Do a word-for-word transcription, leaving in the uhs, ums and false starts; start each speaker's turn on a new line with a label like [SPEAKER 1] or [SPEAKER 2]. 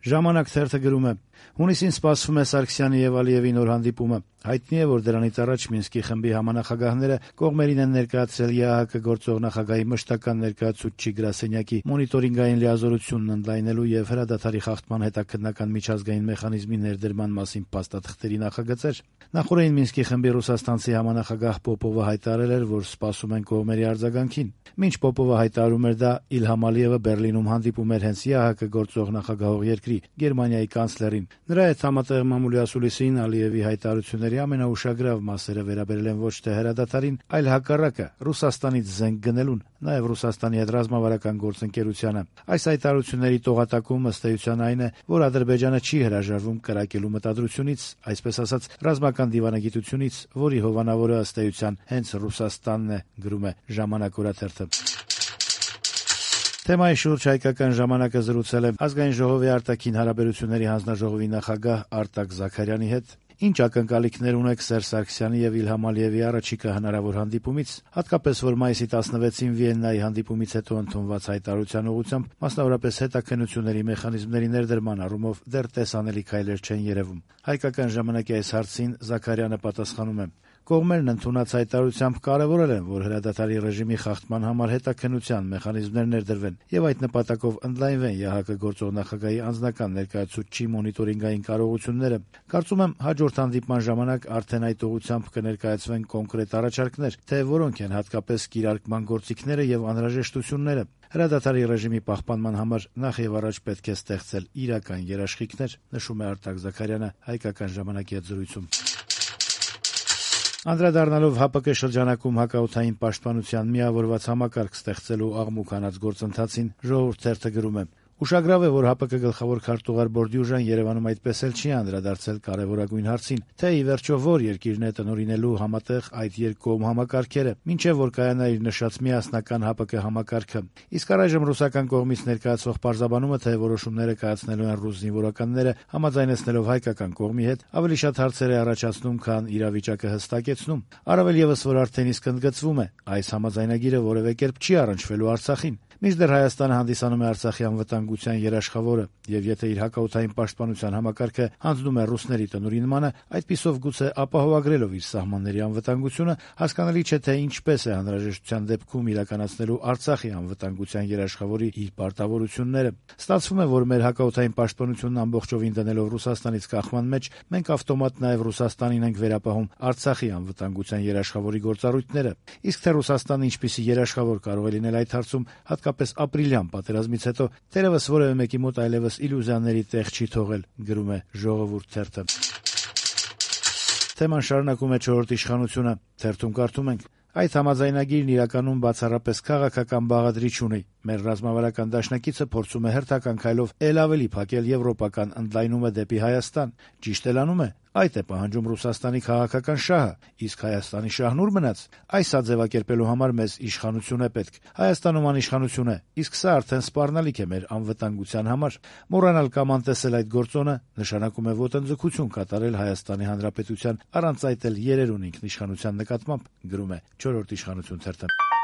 [SPEAKER 1] Ժամանակ թերթը գրում է. հունիսին սպասվում է Սարգսյանի եւ Ալիեվի նոր հանդիպումը։ Հայտնի է, որ դրանից առաջ Մինսկի խմբի համանախագահները կողմերին են ներկայացրել ԵԱՀԿ գործող նախագահի մշտական ներկայացուցչի գրասենյակի մոնիտորինգային լիազորությունն ընդլայնելու եւ հրադադարի խախտման հետաքննական միջազգային մեխանիզմի ներդրման մասին փաստաթղթերի նախագծեր։ Նախորդին Մինսկի խմբի ռուսաստանցի համանախագահ Պոպովը հայտարարել էր, որ սպասում են կողմերի արձագանքին։ Մինչ Պոպովը հայտարարում էր դա, Իլհամ Ալիևը Բերլինում հանդիպում էր հենց ԵԱՀԿ գործող նախագահող երկրի Գերմանիայի կանցլերին։ Նրա հետ համատեղ մամուլի ասուլիսին Ալիևի հայտարարությունների ամենաուշագրավ մասերը վերաբերել են ոչ թե հրադադարին, այլ հակառակը՝ Ռուսաստանից զենք գնելուն, նաև Ռուսաստանի հետ ռազմավարական գործընկերությանը։ Այս հայտարարությունների տողատակում ըստ էության այն է, որ Ադրբեջանը չի հրաժարվում կրակելու մտադրությունից, այսպես ասած, ռազմական դիվանագիտությունից, որի հովանավորը ըստ էության հենց Ռուսաստանն է, գրում է «Ժամանակ» օրաթերթը։ Թեմայի շուրջ Հայկական ժամանակը զրուցել է Ազգային ժողովի արտաքին հարաբերությունների հանձնաժողովի նախագահ Արտակ Զաքարյանի հետ։ Ինչ ակնկալիքներ ունեք Սերժ Սարգսյանի եւ Իլհամ Ալիևի առաջիկա հնարավոր հանդիպումից, հատկապես որ մայիսի տասնվեցին Վիեննայի հանդիպումից հետո ընդունված հայտարարության ուղղությամբ, մասնավորապես հետաքննությունների մեխանիզմների ներդրման առումով դեռ տեսանելի քայլեր չեն երևում։ Հայկական ժամանակի այս հարցին Զաքարյանը պատասխանում է. Կողմերն ընդունած հայտարարությամբ կարևորել են, որ հրադադարի ռեժիմի խախտման համար հետաքննության մեխանիզմներ ներդրվեն եւ այդ նպատակով ընդլայնվեն ԵԱՀԿ գործող նախագահի անձնական ներկայացուցչի մոնիտորինգային կարողությունները։ Կարծում եմ, հաջորդ հանդիպման ժամանակ արդեն այդ ուղղությամբ կներկայացվեն կոնկրետ առաջարկներ, թե որոնք են հատկապես կիրարկման գործիքները եւ անհրաժեշտությունները։ Հրադադարի ռեժիմի պահպանման համար նախ եւ առաջ պետք է ստեղծել իրական երաշխիքներ, նշում է Արտակ Զաքարյանը Հայկական ժամանակի հետ զրույցում։ Անդրադառնալով ՀԱՊԿ շրջանակում հակաօդային պաշտպանության միավորված համակարգ ստեղծելու աղմուկ հանած գործընթացին, Ժողովուրդ թերթը գրում է. Ուշագրավ է, որ ՀԱՊԿ գլխավոր քարտուղար Բորդյուժան Երևանում այդպես էլ չի անդրադարձել կարևորագույն հարցին, թե ի վերջո որ երկիրն է տնօրինելու համատեղ այդ երկկողմ համակարգերը, մինչև որ կայանա իր նշած միասնական ՀԱՊԿ համակարգը։ Իսկ առայժմ ռուսական կողմից ներկայացվող պարզաբանումը, թե որոշումները կայացնելու են ռուս զինվորականները, համաձայնեցնելով հայկական կողմի հետ, ավելի շատ հարցեր է առաջացնում, քան իրավիճակը հստակեցնում։ Առավել եւս, որ արդեն իսկ ընդգծվում է, այս համաձայնագիրը որևէ կերպ չի առնչվելու Արցախին։ Մինչդեռ Հայաստանը հանդիսանում է Արցախի անվտանգության երաշխավորը, եւ եթե իր հակաօդային պաշտպանության համակարգը հանձնում է ռուսների տնօրինմանը, այդպիսով գուցե ապահովագրելով իր սահմանների անվտանգությունը, հասկանալի չէ, թե ինչպես է անհրաժեշտության դեպքում իրականացնելու Արցախի անվտանգության երաշխավորի իր պարտավորությունները։ Ստացվում է, որ մեր հակաօդային պաշտպանությունն ամբողջովին դնելով Ռուսաստանից կախման մեջ, մենք ավտոմատ նաեւ Ռուսաստանին ենք վերապահում Արցախի անվտանգության երաշխավորի գործառույթները։ Իսկ թե Ռուսաստանը ինչպիսի երաշխավոր կարող է լինել այդ հարցում, հատկապես ապրիլյան պատերազմից հետո, թերևս որևէ մեկի մոտ այլևս իլյուզիաների տեղ չի թողել, գրում է Ժողովուրդ թերթը։ Թեման շարունակում է չորրորդ իշխանությունը, թերթում կարդում ենք. Այդ համաձայնագիրն իրականում բացառապես քաղաքական բաղադրիչ ունի։ Մեր ռազմավարական դաշնակիցը փորձում է հերթական քայլով ել ավելի փակել եվրոպական ընդլայնումը դեպի Հայաստան։ Ճիշտ էլ անում է։ Այդ է պահանջում Ռուսաստանի քաղաքական շահը, իսկ Հայաստանի շահն ուր մնաց։ Այս սա ձևակերպելու համար մեզ իշխանություն է պետք։ Հայաստանում անիշխանություն է, իսկ սա արդեն սպառնալիք է մեր անվտանգության համար։ Մոռանալ կամ անտեսել այդ գործոնը նշանակում է ոտնձգություն կատարել Հայաստանի Հանրապետության, առանց այդ էլ երերուն ինքնիշխանության նկատմամբ, գրում է չորրորդ իշխանություն թերթը։